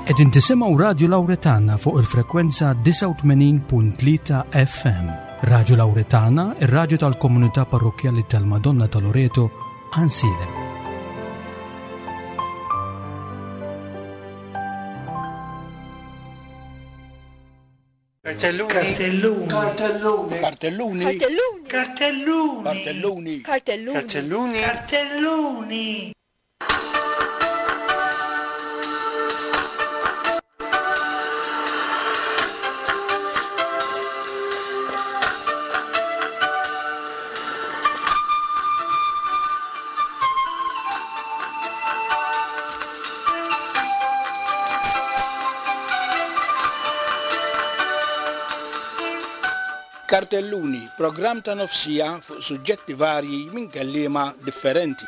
Qegħdin tisimgħu Radju Lawretana fuq il-frekwenza 89.3 FM. Radju Lawretana, ir-radju tal-komunità parrokkjali tal-Madonna ta' Loreto, Għansielem. Kartelluni. Kartelluni. Kartelluni. Kartelluni. Kartelluni. Kartelluni. Kartelluni. Kartelluni. Kartelluni. Kartelluni, programm ta' nofsija fuq suġġetti varji minn kelliema differenti.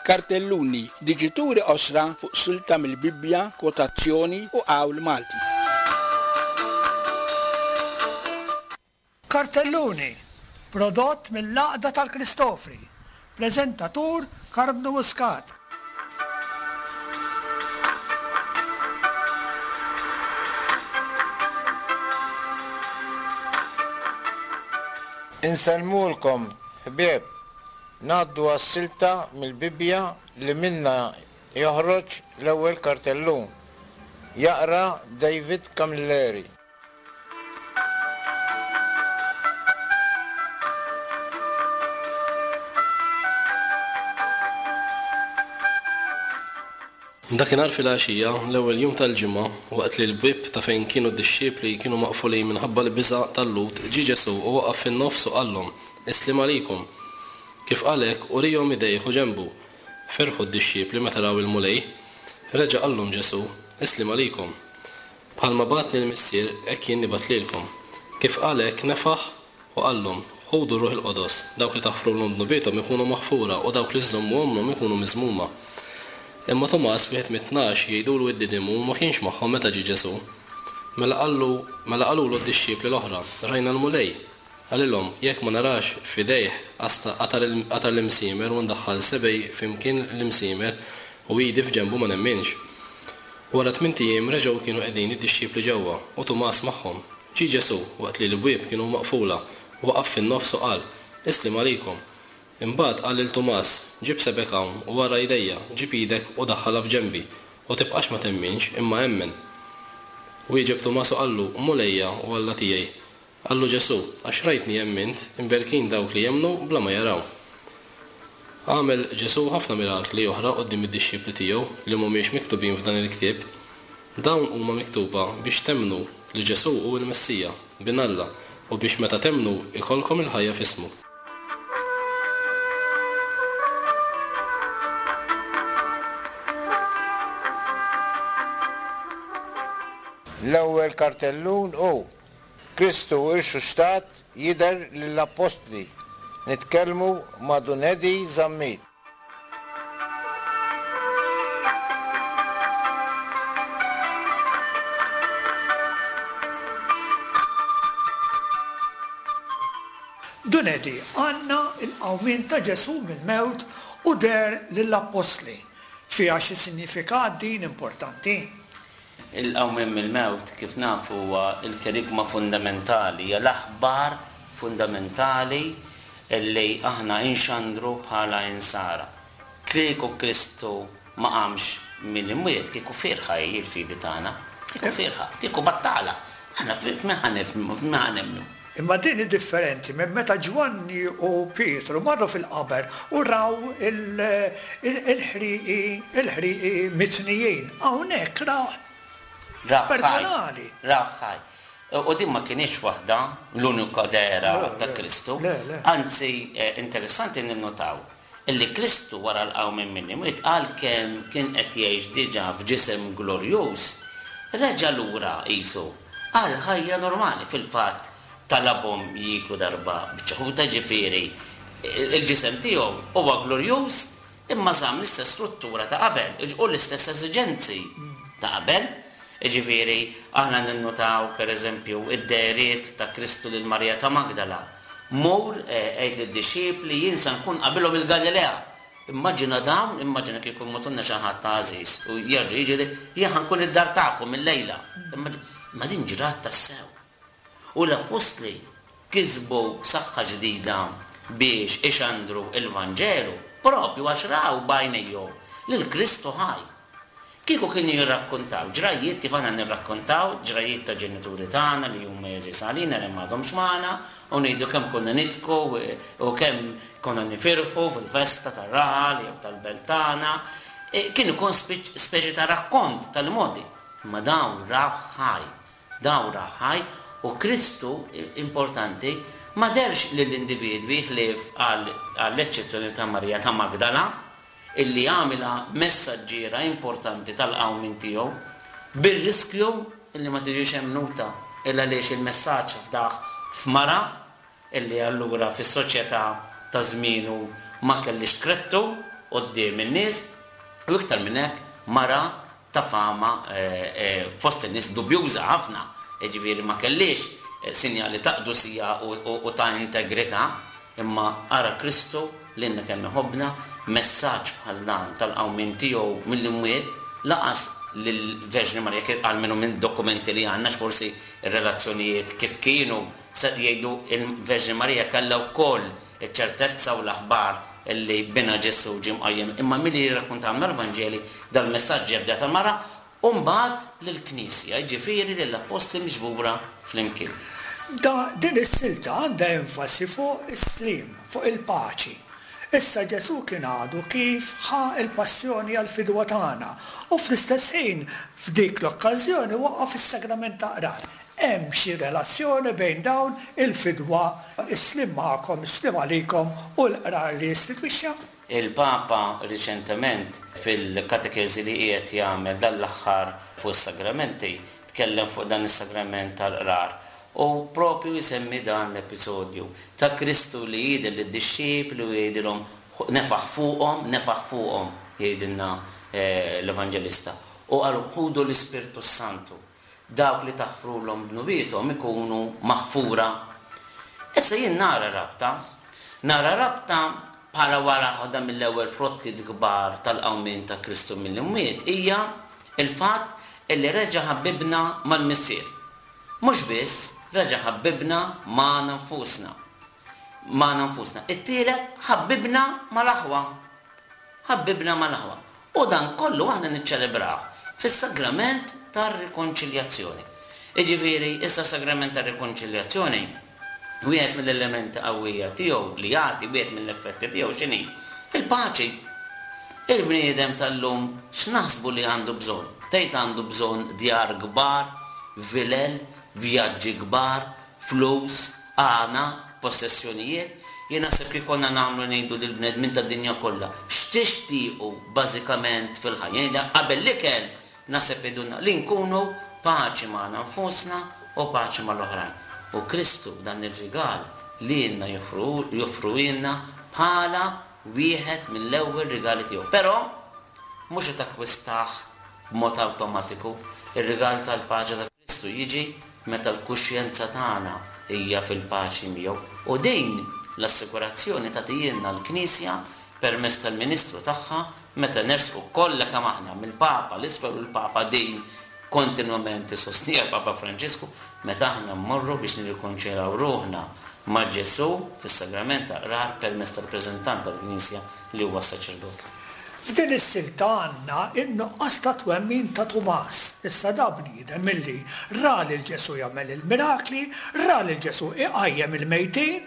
Kartelluni, diġituri qosra fuq silta mill-Bibbja, kwotazzjoni u qawl Malti. Kartelluni, prodott mill-Għaqda tal-Kristofri, preżentatur Karmnu Muscat. Insellmulkom, ħbieb. Ngħaddu għas-silta mill-Bibbja li minnha joħroġ l-ewwel kartellun. Jaqra David Camilleri. Dakinhar filgħaxija, l-ewwel jum tal-ġimgħa, waqt li l-bieb ta' fejn kienu d-dixxipli kienu maqfulin minħabba l-biża' tal-Lhud, ġie Ġesù u waqaf fin-nofs u qallhom, Is-sliem għalikom! Kif qal hekk, uriehom idejh u ġenbu. Ferħu d-dixxipli meta raw il-Mulej. Reġa' qallhom Ġesù, Is-sliem għalikom! Bħalma bagħatni l-Missier, hekk jien nibgħat lilkom. Kif qal hekk, nefaħ u qallhom, Ħudu r-Ruħ il-Qodos, dawk li taħfrulhom dnubiethom ikunu maħfura u dawk li żżommuhomlhom ikunu miżmuma. Imma Tumas, wieħed mit-tnax, jgħidulu id-Didimu, ma kienx magħhom meta ġie Ġesù. Mela qallu, mela qalulu d-dixxipli l-oħra, Rajna l-Mulej! Qalilhom, Jekk ma narax f'idejh qasta qatar qatar l-imsiemer u ndaħħal sebgħi f'imkien l-imsiemer u idi f'ġenbu ma nemminx. Wara tmint ijiem reġgħu kienu qegħdin id-dixxipli ġewwa, u Tumas magħhom. Ġie Ġesù, waqt li l-bwieb kienu maqfula, waqaf fin-nofs u qal, Is-sliem għalikom. Imbagħad qal lil Tumas, Ġib sebgħek hawn, u ara jdejja, ġib idek u daħħalha f'ġenbi, u tibqax ma temminx, imma emmen. Wieġeb Tumas u qallu, Mulejja u Alla tiegħi. Qallu Ġesù, Għax rajtni emmint, imberkin dawk li jemmnu bla ma jaraw. Għamel Ġesù ħafna mirakli oħra quddiem id-dixxipli tiegħu li mhumiex miktubin f'dan il-ktieb. Dawn huma miktuba biex temmnu li Ġesù hu l-Messija, Bin Alla, u biex meta temmnu jkollkom il-ħajja f'ismu. L-ewwel kartellun hu Kristu rxuxtat jidher lill-appostli, nitkellmu ma' Dun Eddie Zammit. Dun Eddie, għandna l-qawmien ta' Ġesù mill-mewt u deher lill-appostli. Fiha xi sinjifikat din importanti? Il-qawmien mill-mewt, kif nafu, huwa l-kerigma fundamentali, hija l-aħbar fundamentali li aħna nxandru bħala Insara. Kieku Kristu ma qamx mill-imwiet, kieku fierħa hi l-fidi tagħna, kieku fierħa, kieku battala. Aħna f'min ħa nifhmu, f'min ħa nemmnu? Imma din hi differenti minn meta Ġwanni u Pietru marru fil-qaber u raw il-ħrieqi il-ħrieqi mitnijin. Hawnhekk rawh personali. Rawh ħaj. U din ma kinitx waħda, l-unika dehra ta' Kristu. Anzi, interessanti ninnutaw illi Kristu wara l-qawmien mill-imwiet għalkemm kien qed jgħix diġà f'ġisem glorjuż, reġa' lura qisu għal ħajja normali. Fil-fatt talabhom jieklu darba biċċa ħuta, jiġifieri l-ġisem tiegħu huwa glorjuż imma żamm l-istess struttura ta' qabel u l-istess esiġenzi ta' qabel. Jiġifieri aħna ninnutaw pereżempju d-dehriet ta' Kristu lil Marija ta' Magdala. Mur, għid lid-dixxipli, jien sa nkun qabilhom il-Galilea. Immaġina dawn, immaġina kieku jmutilna xi ħadd għażiż u jerġa' jiġi jgħidlek, jien ħa nkun id-dar tagħkom illejla. Imma din ġrat tassew. U l-appostli kisbu saħħa ġdida biex ixandru l-Vanġelu proprju għax raw b'għajnejhom lil Kristu ħaj. Kieku kienu jirrakkuntaw ġrajjiet kif aħna nirrakkuntaw ġrajjiet ta' ġenituri tagħna li huma għeżież għalina li m'għadhomx magħna u ngħidu kemm konna nidhku u kemm konna nifirħu fil-festa tar-raħal jew tal-belt tagħna, kien ikun speċi ta' rakkont tal-imgħoddi. Imma dawn rawh ħaj. Dawn rawh ħaj u Kristu, importanti, ma dehrx lill-individwi ħlief għall-eċċezzjoni ta' Marija ta' Magdala, illi għamilha messaġġiera importanti tal-qawmien tiegħu, bir-riskju illi ma tiġix emmnuta, il għaliex il-messaġġ fdah f'mara, illi allura fis-soċjetà ta' żmienu ma kellhiex krettu quddiem in-nies, u iktar minn hekk mara ta' fama fost in-nies dubjuża ħafna, jiġifieri ma kellhiex sinjali ta' qdusija u ta' integrità, imma ara Kristu lilna kemm iħobbna, messaġġ bħal dan tal-qawmien tiegħu mill-imwiet laqas lill-Verġni Marija kif almenu minn dokumenti li għandna għax forsi r-relazzjonijiet kif kienu se jgħidu l-Verġni Marija kellha wkoll iċ-ċertezza u l-aħbar li Binha Ġesù ġie mqajjem, imma milli jirrakkuntawlna l-Vanġeli, dal-messaġġ ġie fdat għall-mara u mbagħad lill-Knisja, jiġifieri lill-appostli miġbura flimkien. Da, din is-silta għandha enfasi fuq is-sliem, fuq il-paċi. Issa Ġesù kien għadu kif ħa l-passjoni għall-fidwa tagħna u fl-istess ħin f'dik l-okkażjoni waqqaf is-sagrament tal-qrar. Hemm xi relazzjoni bejn dawn, il-fidwa, is-sliem magħkom, is-sliem għalikom u l-qrar li istitwixxa? Il-Papa riċentement fil-katekeżi li qiegħed jagħmel dan l-aħħar fuq is-sagramenti tkellem fuq dan is-sagrament tal-qrar u proprju jsemmi dan l-episodju ta' Kristu li jidher lid-dixxipli u jgħidilhom nefaħ fuqhom, nefaħ fuqhom jgħidilna l-Evanġelista u qalhom ħudu l-Ispirtu s-Santu. Dawk li taħfrulhom dnubiethom ikunu maħfura. Issa jien nara rabta. Nara rabta bħala waħda mill-ewwel frottiet kbar tal-qawmien ta' Kristu mill-imwiet hija l-fatt li reġa' ħabbibna mal-Missier. Mhux biss, reġa' ħabbibna magħna nfusna. Magħna nfusna. It-tielet, ħabbibna mal-aħwa. Ħabbibna mal-aħwa. U dan kollu aħna niċċelebrawh fis-sagrament tar-rikonċiljazzjoni. Jiġifieri, issa s-sagrament tar-rikonċiljazzjoni, wieħed mill-elementi qawwija tiegħu li jagħti, wieħed mill-effetti tiegħu x'inhi? Il-paċi. Il-bniedem tal-lum x'naħsbu li għandu bżonn? Tgħid għandu bżonn djar kbar, vilel, vjaġġi kbar, flus, għana, possessjonijiet, jien naħseb kif konna nagħmlu ngħidu lill-bnedmin tad-dinja kollha, x'tixtiequ bażikament fil-ħajja? Jien qabel l-ikel naħseb jgħidulna li nkunu paċi magħna nfusna u paċi mal-oħrajn. U Kristu dan ir-rigal lilna joffruhielna bħala wieħed mill-ewwel rigali tiegħu. Però mhux se takkwistah b'mod awtomatiku, ir-rigal tal-paċi ta' Kristu jiġi meta l-kuxjenza tagħna hija fil-paċi miegħu. U din l-assigurazzjoni tagħtihielna l-Knisja permezz tal-ministru tagħha meta nersqu kollha kemm aħna, mill-Papa 'l isfel u l-Papa din kontinwament isostniha l-Papa Franġisku, meta aħna mmorru biex nirrikonċiljaw ruħna ma' Ġesù fis-Sagrament tal-Qrar permezz tar-rappreżentant tal-Knisja li huwa s-saċerdot. F'din is-silta għandna n-nuqqas ta' twemmin ta' Tumas. Issa da bniedem illi ra lil Ġesù jagħmel il-mirakli, ra lil Ġesù iqajjem il-mejtin,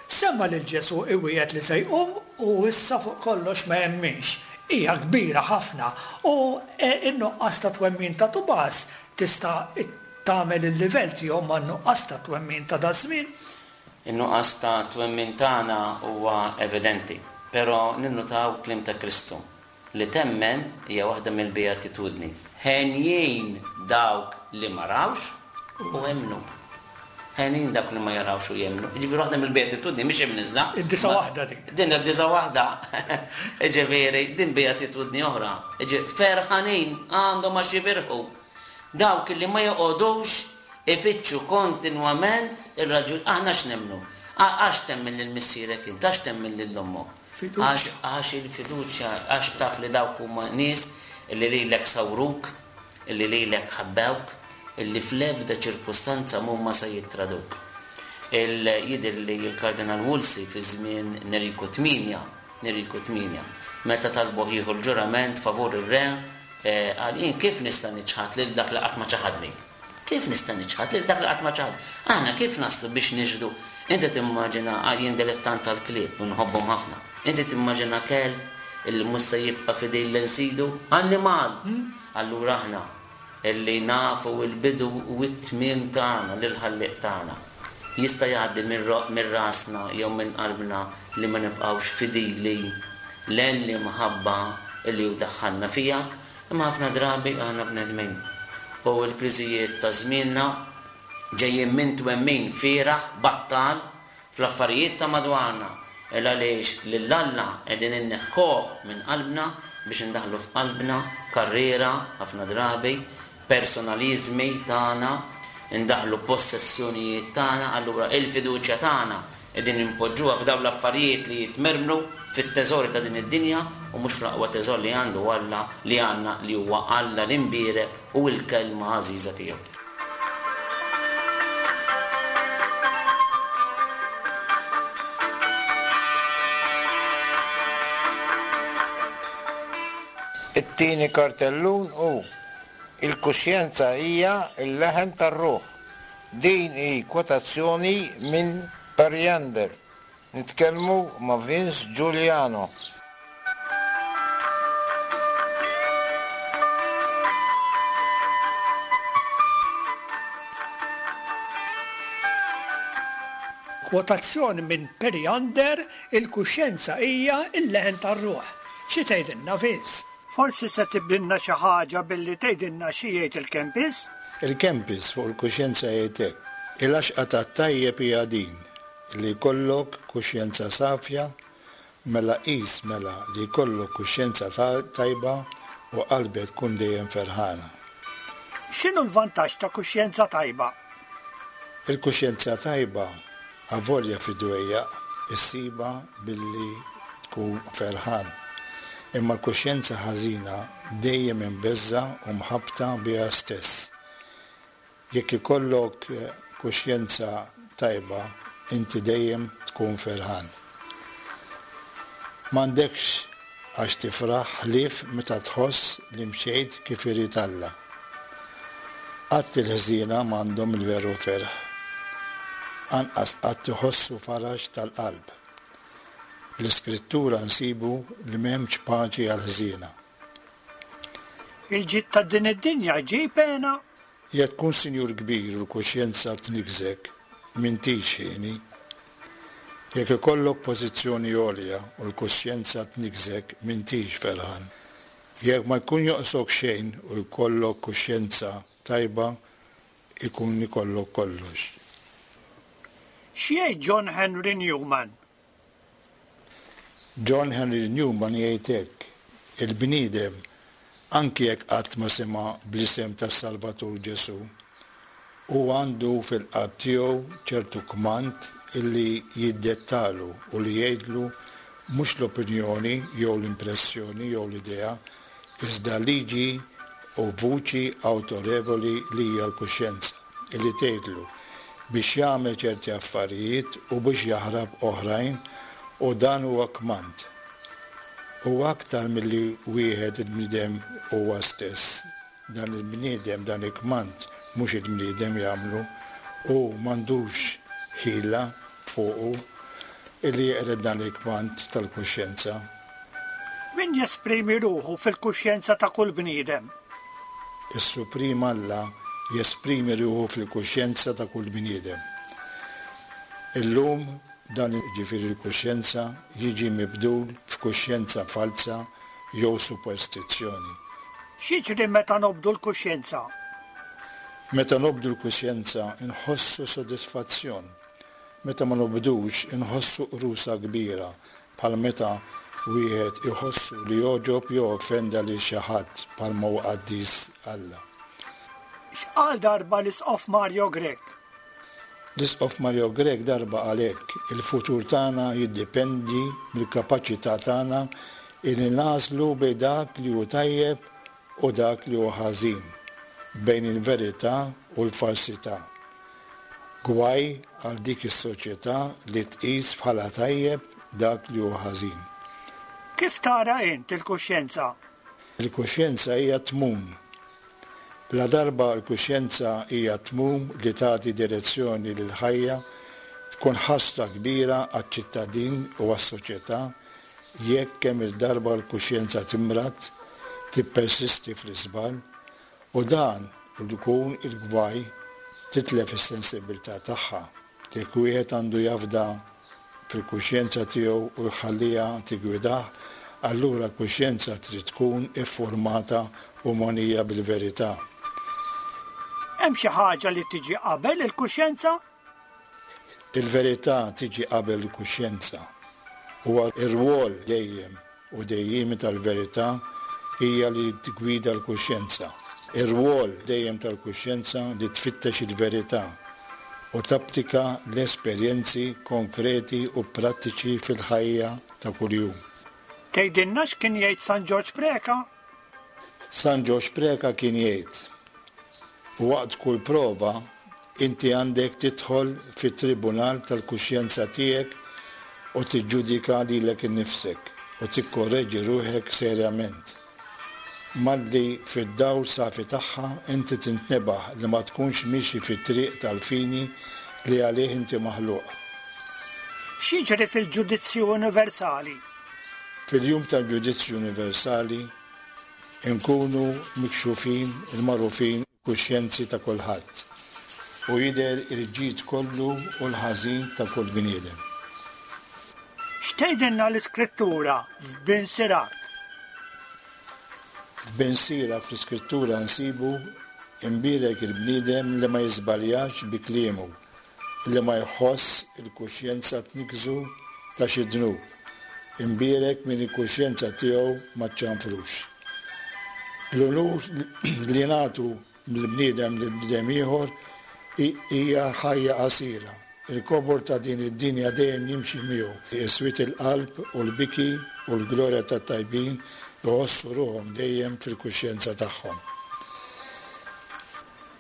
sema' lil Ġesù iwiegħed li se jqum u issa fuq kollox ma jemminx. Hija kbira ħafna u n-nuqqas ta' twemmin ta' Tumas tista' tagħmel il-livell tiegħu man-nuqqas ta' twemmin ta' daż-żmien. In-nuqqas ta' twemmin tagħna huwa evidenti, però ninnutaw kliem ta' Kristu, li temmen hija waħda mill-beatitudni. Henjin dawk li ma rawx u emmnu. Henjin dawk li ma jarawx u jemmnu. Jiġifieri waħda mill-beatitudni mhix imniżżla. Id-disa' waħda din. Din id-disa' waħda. Jiġifieri din beatitudni oħra. Jiġifieri ferħanin għandhom għax jifirħu. Dawk li ma joqogħdux ifittxu kontinwament ir-raġuni. Aħna x'nemmnu? Għax temmen lil missierek int, għax temmen lil ommok? Għax għax il-fiduċja, għax taf li dawk huma nies li lilek sawruk, li lilek ħabbewk, li fl-ebda ċirkustanza m'huma se jittraduk. Il jidhirli l-Kardinal Wolsey fi żmien Neriku Tmienja, Neriku Tmienja, meta talbuh jieħu l-ġurament favur ir-re, qal, Jien kif nista' niċħad lil dak li qatt ma ċaħadni? Kif nista' niċħad lil dak li qatt ma ċaħadni? Aħna kif naslu biex nixhdu? Inti timmaġina, jien dilettant tal-klieb u nħobbhom ħafna, inti timmaġina kelb illi mhux se jibqa' fidil lejn sidu? Annimal! Allura aħna, illi nafu l-bidu u t-tmiem tagħna lill-Ħallieq tagħna, jista' jgħaddi minn rasna jew minn qalbna li ma nibqgħux fidili lejn l-imħabba li hu daħħalna fiha, imma ħafna drabi aħna bnedmin u l-kriżijiet ta' żmienna ġejjin minn twemmin fieragħ, battal, fl-affarijiet ta' madwarna, il għaliex lil Alla qegħdin inneħħuh minn qalbna biex indaħħlu f'qalbna karriera, ħafna drabi, personaliżmi tagħna, indaħħlu possessjonijiet tagħna, allura il-fiduċja tagħna qegħdin inpoġġuha f'dawn l-affarijiet li jitmermru fit-teżori ta' din id-dinja u mhux fl-aqwa teżor li għandu Alla, li għandna, li huwa Alla l-Imbierek u l-Kelma għażiża tiegħu. It-tieni kartellun hu, Il-kuxjenza hija l-leħen tar-ruħ. Din hi kwotazzjoni minn Periander. Nitkellmu ma' Vince Giuliano. Kwotazzjoni minn Periander, Il-kuxjenza hija l-leħen tar-ruħ. Xi tgħidilna Vince? Forsi se tibdilna xi ħaġa billi tgħidilna xi jgħid il-Kempis? Il-Kempis fuq il-kuxjenza jgħid hekk, Il-għaxqa tat-tajjeb hija din, Li jkollok kuxjenza safja, mela qis mela li jkollok kuxjenza tajba u qalbek tkun dejjem ferħana. X'inhu l-vantaġġ ta' kuxjenza tajba? Il-kuxjenza tajba, avolja fid-dwejjaq, issibha billi tkun ferħan. Imma l-kuxjenza ħażina dejjem imbeżżgħa u mħabbta biha stess. Jekk ikollok kuxjenza tajba, inti dejjem tkun ferħan. M'għandekx għax tifraħ ħlief meta tħoss li mxejt kif irid Alla. Qatt il-ħżiena m'għandhom il-veru ferħ. Anqas qatt iħossu faraġ tal-qalb. Fl-Iskrittura nsibu li m'hemmx paċi għall-ħżiena. Il-ġid ta' din id-dinja jġib hena. Jekk tkun sinjur kbir u l-kuxjenza tniggżek, m'intix hieni. Jekk ikollok pożizzjoni għolja u l-kuxjenza tniggżek, m'intix ferħan. Jekk ma jkun jonqsok xejn u jkollok kuxjenza tajba, ikun ikollok kollox. X'jgħid John Henry Newman? John Henry Newman jgħid hekk, Il-bniedem, anki jekk qatt ma sema' bl-isem tas-Salvatur Ġesù, hu għandu fil-qalb tiegħu ċertu kmand illi jiddettalu u li jgħidlu mhux l-opinjoni jew l-impressjoni jew l-idea, iżda liġi u vuċi awtorevoli li hija l-kuxjenza. li tgħidlu biex jagħmel ċerti affarijiet u biex jaħrab oħrajn u dan huwa kmand. Huwa aktar milli wieħed il-bniedem huwa stess. Dan il-bniedem, dan il-kmand mhux il-bniedem jagħmlu, hu m'għandux ħila fuqu illi jeqred dan il-kmand tal-kuxjenza. Min jesprimi ruħu fil-kuxjenza ta' kull bniedem? Is-Suprim Alla jesprimi ruħu fil-kuxjenza ta' kull bniedem. Illum dan, jiġifieri l-kuxjenza, jiġi mibdul f'kuxjenza falza jew superstizzjoni. X'jiġri meta nobdu l-kuxjenza? Meta nobdu l-kuxjenza nħossu sodisfazzjon. Meta ma nobdux inħossu qrusa kbira bħal meta wieħed iħossu li għoġob jew offenda lil xi ħadd bħalma hu qaddis Alla. X'qal darba l-Isqof Mario Grech? L-Isqof Mario Grech darba qal hekk, Il-futur tagħna jiddipendi mill-kapaċità tagħna illi nagħżlu bejn dak li hu tajjeb u dak li hu ħażin, bejn il-verità u l-falsità. Gwaj għal dik is-soċjetà li tqis bħala tajjeb dak li hu ħażin. Kif tara int il-kuxjenza? Il-kuxjenza hija tmun. Ladarba l-kuxjenza hija tmun li tagħti direzzjoni lill-ħajja, tkun ħasra kbira għaċ-ċittadin u għas-soċjetà jekk kemm-il darba l-kuxjenza timrad, tippersisti fl-iżball, u dan jkun il-gwaj titlef is-sensibbiltà tagħha. Jekk wieħed għandu jafda fil-kuxjenza tiegħu u jħalliha tiggwidah, allura l-kuxjenza trid tkun iffurmata u mogħnija bil-verità. Hemm xi ħaġa li tiġi qabel il-kuxjenza? Il-verità tiġi qabel il-kuxjenza. Huwa r-rwol dejjem u dejjiemi tal-verità hija li tiggwida l-kuxjenza. Ir-rwol dejjem tal-kuxjenza li tfittex il-verità u tapplika l-esperjenzi konkreti u prattiċi fil-ħajja ta' kuljum. Tgħidilna x'kien jgħid San Ġorġ Preca? San Ġorġ Preca kien jgħid, Waqt kull prova, inti għandek tidħol fit-tribunal tal-kuxjenza tiegħek u tiġġudika lilek innifsek u tikkorreġi ruħek serjament. Malli fid-dawl safi tagħha inti tintnebaħ li ma tkunx miexi fit-triq tal-fini li għalih inti maħluq. X'jiġri fil-Ġudizzju Universali? Fil-Jum tal-Ġudizzju Universali, inkunu mikxufin il-magħrufin il-kuxjenzi ta' kulħadd, u jidher il-ġid kollu u l-ħażin ta' kull bniedem. X'tgħidilna l-Iskrittura f'Bin Sirak? F'Bin Sirak fl-Iskrittura nsibu, Imbierek il-bniedem li ma jiżbaljax bi kliemu, li ma jħoss il-kuxjenza tniggżu ta' xi dnub, imbierek min il-kuxjenza tiegħu ma ċċanfrux. L-unur li nagħtu mill-bniedem lil bniedem ieħor hija ħajja qasira. Il-kobor ta' din id-dinja dejjem jimxi miegħu, is-swied il-qalb u l-biki u l-glorja tat-tajbin iħossu ruħhom dejjem fil-kuxjenza tagħhom.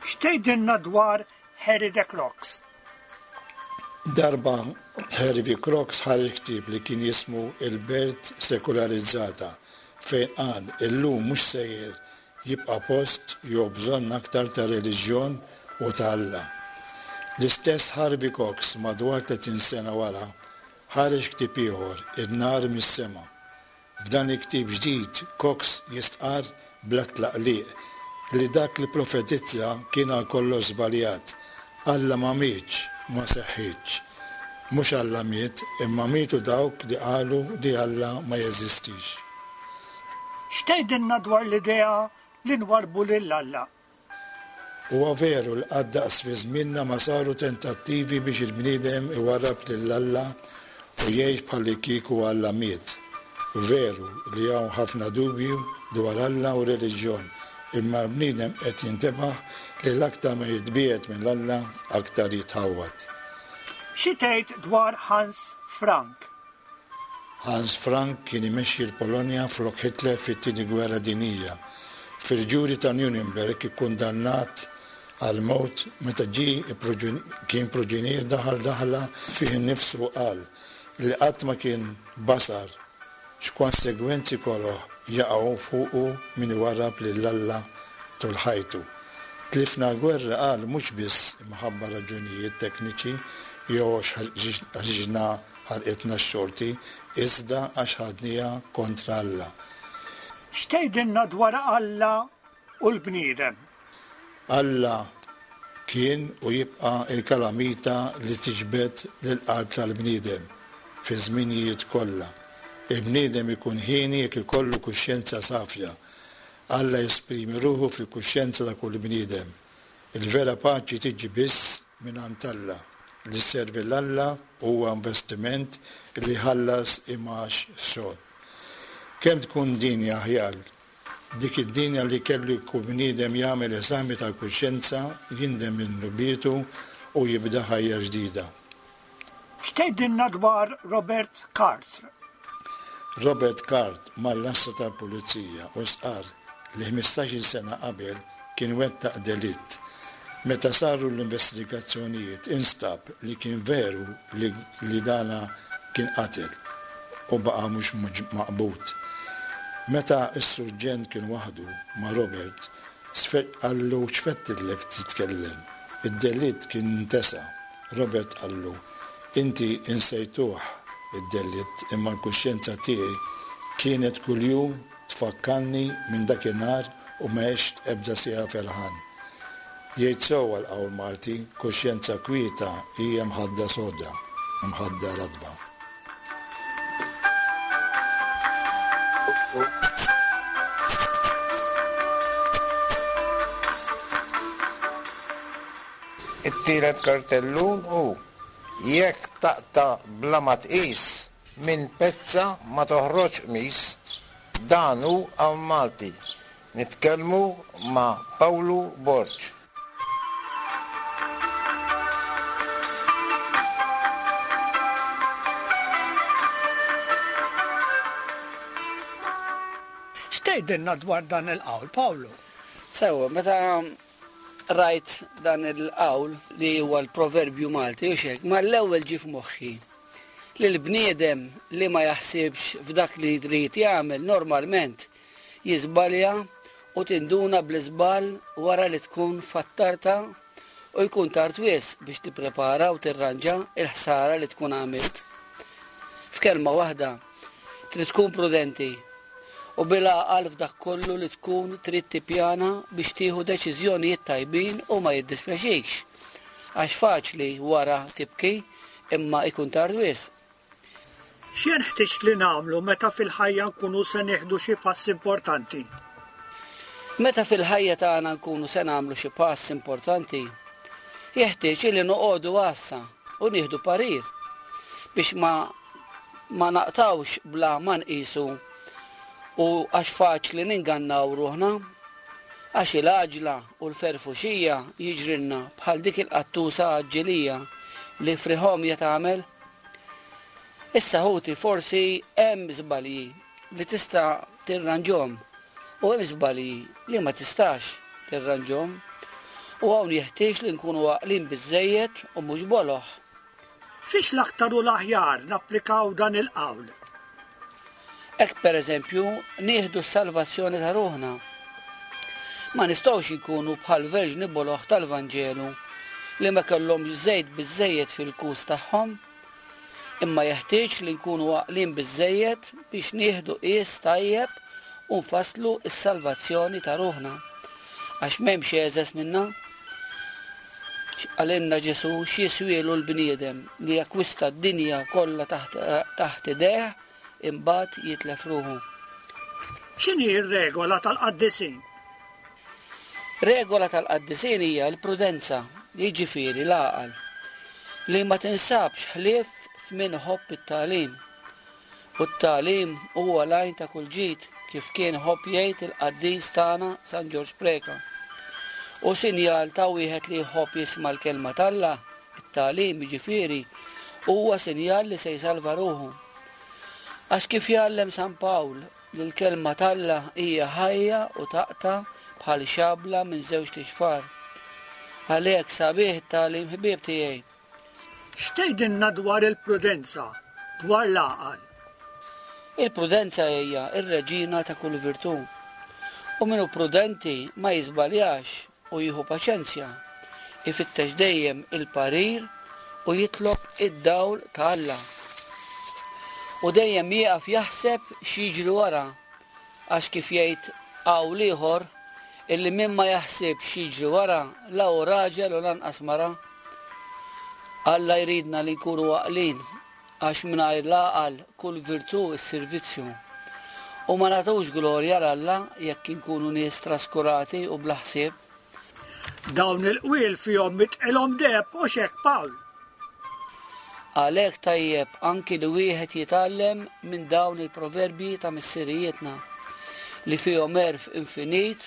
X'tgħidilna dwar Harry de Crocs. Darba Harry V. Crocs ħareġ ktieb li kien jismu Il-Belt Sekularizzata fejn qal illum mhux sejjer jibqa' post jew bżonn aktar ta' reliġjon u ta' Alla. L-istess Harvey Cox madwar 30 sena wara ħareġ ktieb ieħor In-Nar mis-Sema F'dan il-ktieb ġdid, Cox jistqarr bla tlaqliq li dak li pprofetizza kien għal kollox żbaljat. Alla ma mietx, ma seħħitx. Mhux Alla miet, imma mietu dawk li qalu li Alla ma jeżistix. X'tgħidilna dwar l-idea li nwarrbu lil Alla? Huwa veru li qatt daqs fi żmienna ma saru tentattivi biex il-bniedem iwarrab lil Alla u jgħix bħallikieku Alla miet. Veru li hawn ħafna dubju dwar Alla u r-reliġjon, imma l-bniedem qed jintebaħ li l-aktar ma jitbiegħed minn Alla aktar jitħawwad. Xi tgħid dwar Hans Frank? Hans Frank kien imexxi l-Polonja flok Hitler fit-Tieni Gwerra Dinjija. Fil-ġuri ta' Nuremberg ikkundannat għall-mewt meta ġie kien pruġinier daħal daħla fih innifsu u qal li qatt ma kien basar x'konsegwenzi koroh jaqgħu fuqu min iwarrab lil Alla tul ħajtu. Tlifna l-gwerra qal mhux biss imħabba raġunijiet tekniċi jew għax ħriġna Ħarqitna x-xorti, iżda għax ħadniha kontra Alla. X'tgħidilna dwar Alla u l-bniedem? Alla kien u jibqa' l-kalamita li tiġbed lill-qalb tal-bniedem fiż-żminijiet kollha. Il-bniedem ikun hieni jekk ikollu kuxjenza safja. Alla jesprimi ruħu fil-kuxjenza ta' kull bniedem. Il-vera paċi tiġi biss mingħand Alla. Li sservi 'l Alla huwa investiment li jħallas imgħax sod. Kemm tkun dinja aħjar dik id-dinja li kellu kull bniedem jagħmel eżami tal-kuxjenza, jindem minn dnubietu u jibda ħajja ġdida. X'tgħidilna dwar Robert Carth? Robert Card mar l-għassa tal-Pulizija u stqarr li 15-il sena qabel kien wettaq delitt. Meta saru l-investigazzjonijiet instab li kien veru li li dana kien qatel u baqa' mhux maqbud. Meta s-surġent kien waħdu ma' Robert, qallu x'fettidlek titkellem? Id-delitt kien ntesa. Robert qallu, Inti insejtuh id-delitt imma l-kuxjenza tiegħi kienet kuljum tfakkarni minn dakinhar u m'għext ebda siegħa ferħan. Jgħid sewwa l-qawl Malti, kuxjenza kwieta hija mħadda soda, imħadda ratba. It-tielet kartellun hu, Jekk taqta' bla ma tqis, minn pezza ma toħroġx qmis. Dan hu Hawn Malti. Nitkellmu ma' Pawlu Borg. X'tgħidilna dwar dan il-qawl, Pawlu? Sewwa, meta rajt dan il-qawl li huwa l-proverbju Malti u xek, mal-ewwel ġie f'moħħi li l-bniedem li ma jaħsibx f'dak li jrid jagħmel normalment jiżbalja u tinduna bl-iżball wara li tkun fattarta u jkun tard wisq biex tipprepara u tirranġa l-ħsara li tkun għamilt. F'kelma waħda, trid tkun prudenti u bil-għaqal f'dak kollu li tkun trid tippjana biex tieħu deċiżjonijiet tajbin u ma jiddispjaċikx. Għax faċli wara tibki imma jkun tard wisq. X'jenħtieġ li nagħmlu meta fil-ħajja nkunu se nieħdu xi pass importanti? Meta fil-ħajja tagħna nkunu se nagħmlu xi pass importanti, jeħtieġ li noqogħdu għassa u nieħdu parir biex ma ma naqtgħux bla ma nqisu u għax faċli ningannaw ruħna. Għax il-għaġla u l-ferfuxija jiġrilna bħal dik il-qattusa għaġġilija li friħomja tagħmel. Issa ħuti forsi hemm żbalji li tista' tirranġhom u hemm żbalji li ma tistax tirranġhom. U hawn jeħtieġ li nkunu għaqlin biżżejjed u mhux boloh. Fiex l-aktar u l-aħjar napplikaw dan il-qawl? Hekk pereżempju nieħdu s-salvazzjoni ta' ruħna. Ma nistgħux inkunu bħall-verġni boloh tal-Vanġelu li ma kellhomx żejt biżżejjed fil-kus tagħhom. Imma jeħtieġ li nkunu għaqlin biżżejjed biex nieħdu qies tajjeb u nfasslu s-salvazzjoni ta' ruħna. Għax m'hemmx egħżeż minna. X'qalilna Ġesù x'jiswielu l-bniedem li jakkwista d-dinja kollha taħt taħt idejh imbagħad jitlef ruħu? X'inhi r-regola tal-qaddisin? Regola tal-qaddisin hija l-prudenza, jiġifieri l-għaqal, li ma tinsabx ħlief f'min iħobb it-tagħlim. U t-tagħlim huwa l-għajn ta' kull ġid, kif kien iħobb jgħid il-qaddis tagħna San Ġorġ Preca. U sinjal ta' wieħed li jħobb jisma' l-Kelma t'Alla, it-tagħlim, jiġifieri, huwa sinjal li se jsalva ruħu. Għax kif jgħallem San Pawl, li l-Kelma t'Alla hija ħajja u taqta' bħal xabla minn żewġt ixfar. Għalhekk sabiħ it-tagħlim ħbieb tiegħi. X'tgħidilna dwar il-prudenza, dwar l-għaqal? Il-prudenza hija r-reġina ta' kull virtù. U min hu prudenti ma jiżbaljax u jieħu paċenzja, ifittex dejjem il-parir u jitlob id-dawl ta' Alla. U dejjem jieqaf jaħseb x'jiġri wara, għax kif jgħid qawl ieħor, illi min ma jaħsibx x'jiġri wara la hu raġel u lanqas mara. Alla jridna li nkunu għaqlin Għax mingħajr l-għaqal kull virtù ssir vizzju. U ma nagħtux glorja 'l Alla jekk inkunu nies traskurati u bla ħsieb. Dawn il-qwiel fihom mitqilhom deheb, hux hekk Pawl? Għalhekk tajjeb anki li wieħed jitgħallem minn dawn il-proverbji ta' missirijietna, li fihom għerf infinit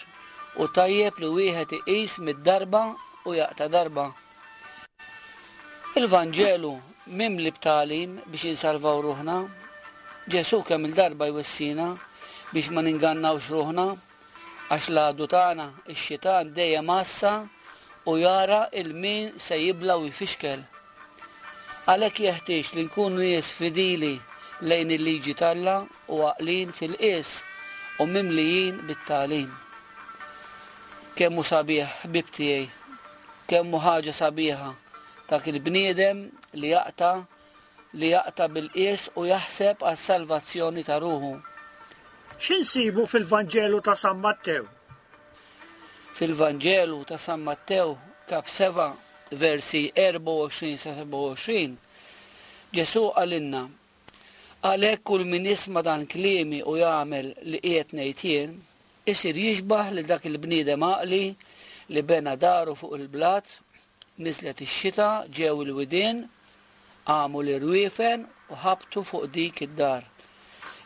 u tajjeb li wieħed iqis mid-darba u jaqta' darba. Il-Vanġelu mimli b'tagħlim biex insalvaw ruħna. Ġesù kemm-il darba jwissina biex ma ningannawx ruħna, għax l-għadu tagħna, ix-xitan dejjem għassa u jara 'l min se jibla' u jfixkel. Għalhekk jeħtieġ li nkunu nies fidili lejn il-liġi t'Alla u għaqlin fil-qies u mimlijin bit-tagħlim. Kemm hu sabiħ, ħbieb tiegħi, kemm hu ħaġa sabiħa dak il-bniedem li jaqta' li jaqta' bil-qies u jaħseb għas-salvazzjoni ta' ruħu. Xi nsibu fil-Vanġelu ta' San Mattew? Fil-Vanġelu ta' San Mattew, Kap 7, versi 24 sa 27, Ġesù qalilna, Għalhekk kull min jisma' dan kliemi u jagħmel li qiegħed ngħid jien, isir jixbah lil dak il-bniedem għaqli li bena daru fuq il-blat, niżlet ix-xita, ġew il-widien, Qamu l-irwiefen u ħabtu fuq dik id-dar.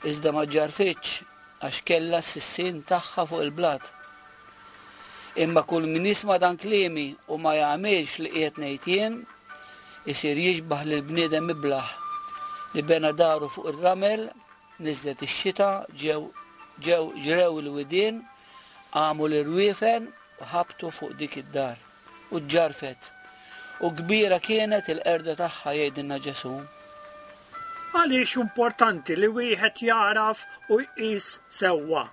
Iżda ma ġġarrfitx għax kellha s-sissien tagħha fuq il-blat. Imma kull min jisma' dan kliemi u ma jagħmilx li qiegħed ngħid jien, isir jixbah lil bniedem iblah, li bena daru fuq ir-ramel, niżlet ix-xita, ġew ġew ġrew il-widien, qamu l-irwiefen u ħabtu fuq dik id-dar. U ġġarrfet. U kbira kienet il-qerda tagħha, jgħidilna Ġesù. Għaliex hu importanti li wieħed jagħraf u jqis sewwa?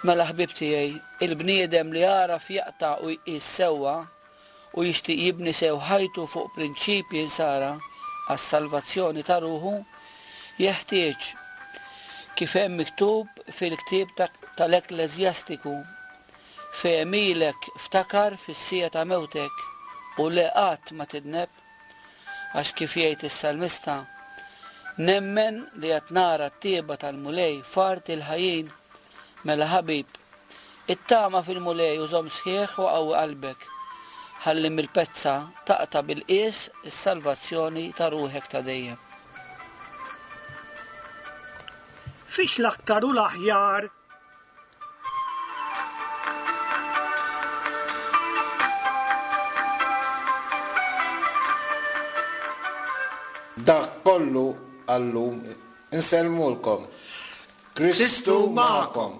Mela ħbieb tiegħi, il-bniedem li jagħraf jaqta' u jqis sewwa u jixtieq jibni sew ħajtu fuq prinċipji nsara għas-salvazzjoni ta' ruħu, jeħtieġ, kif hemm miktub fil-ktieb tal-Ekkleżjastiku, F'għemilek ftakar fis-siegħa ta' mewtek, u le qatt ma tidneb. Għax kif jgħid is-salmista, Nemmen li għad nara t-tjieba tal-Mulej f'art il-ħajjin. Mela ħabib, ittama fil-Mulej u żomm sħiħ u qawwi qalbek, ħalli mill-pezza taqta' bil-qies is-salvazzjoni ta' ruħek ta' dejjem. Fiex l-aktar u l-aħjar Dak kollu għal-lum. Insellmulkom. Kristu magħkom.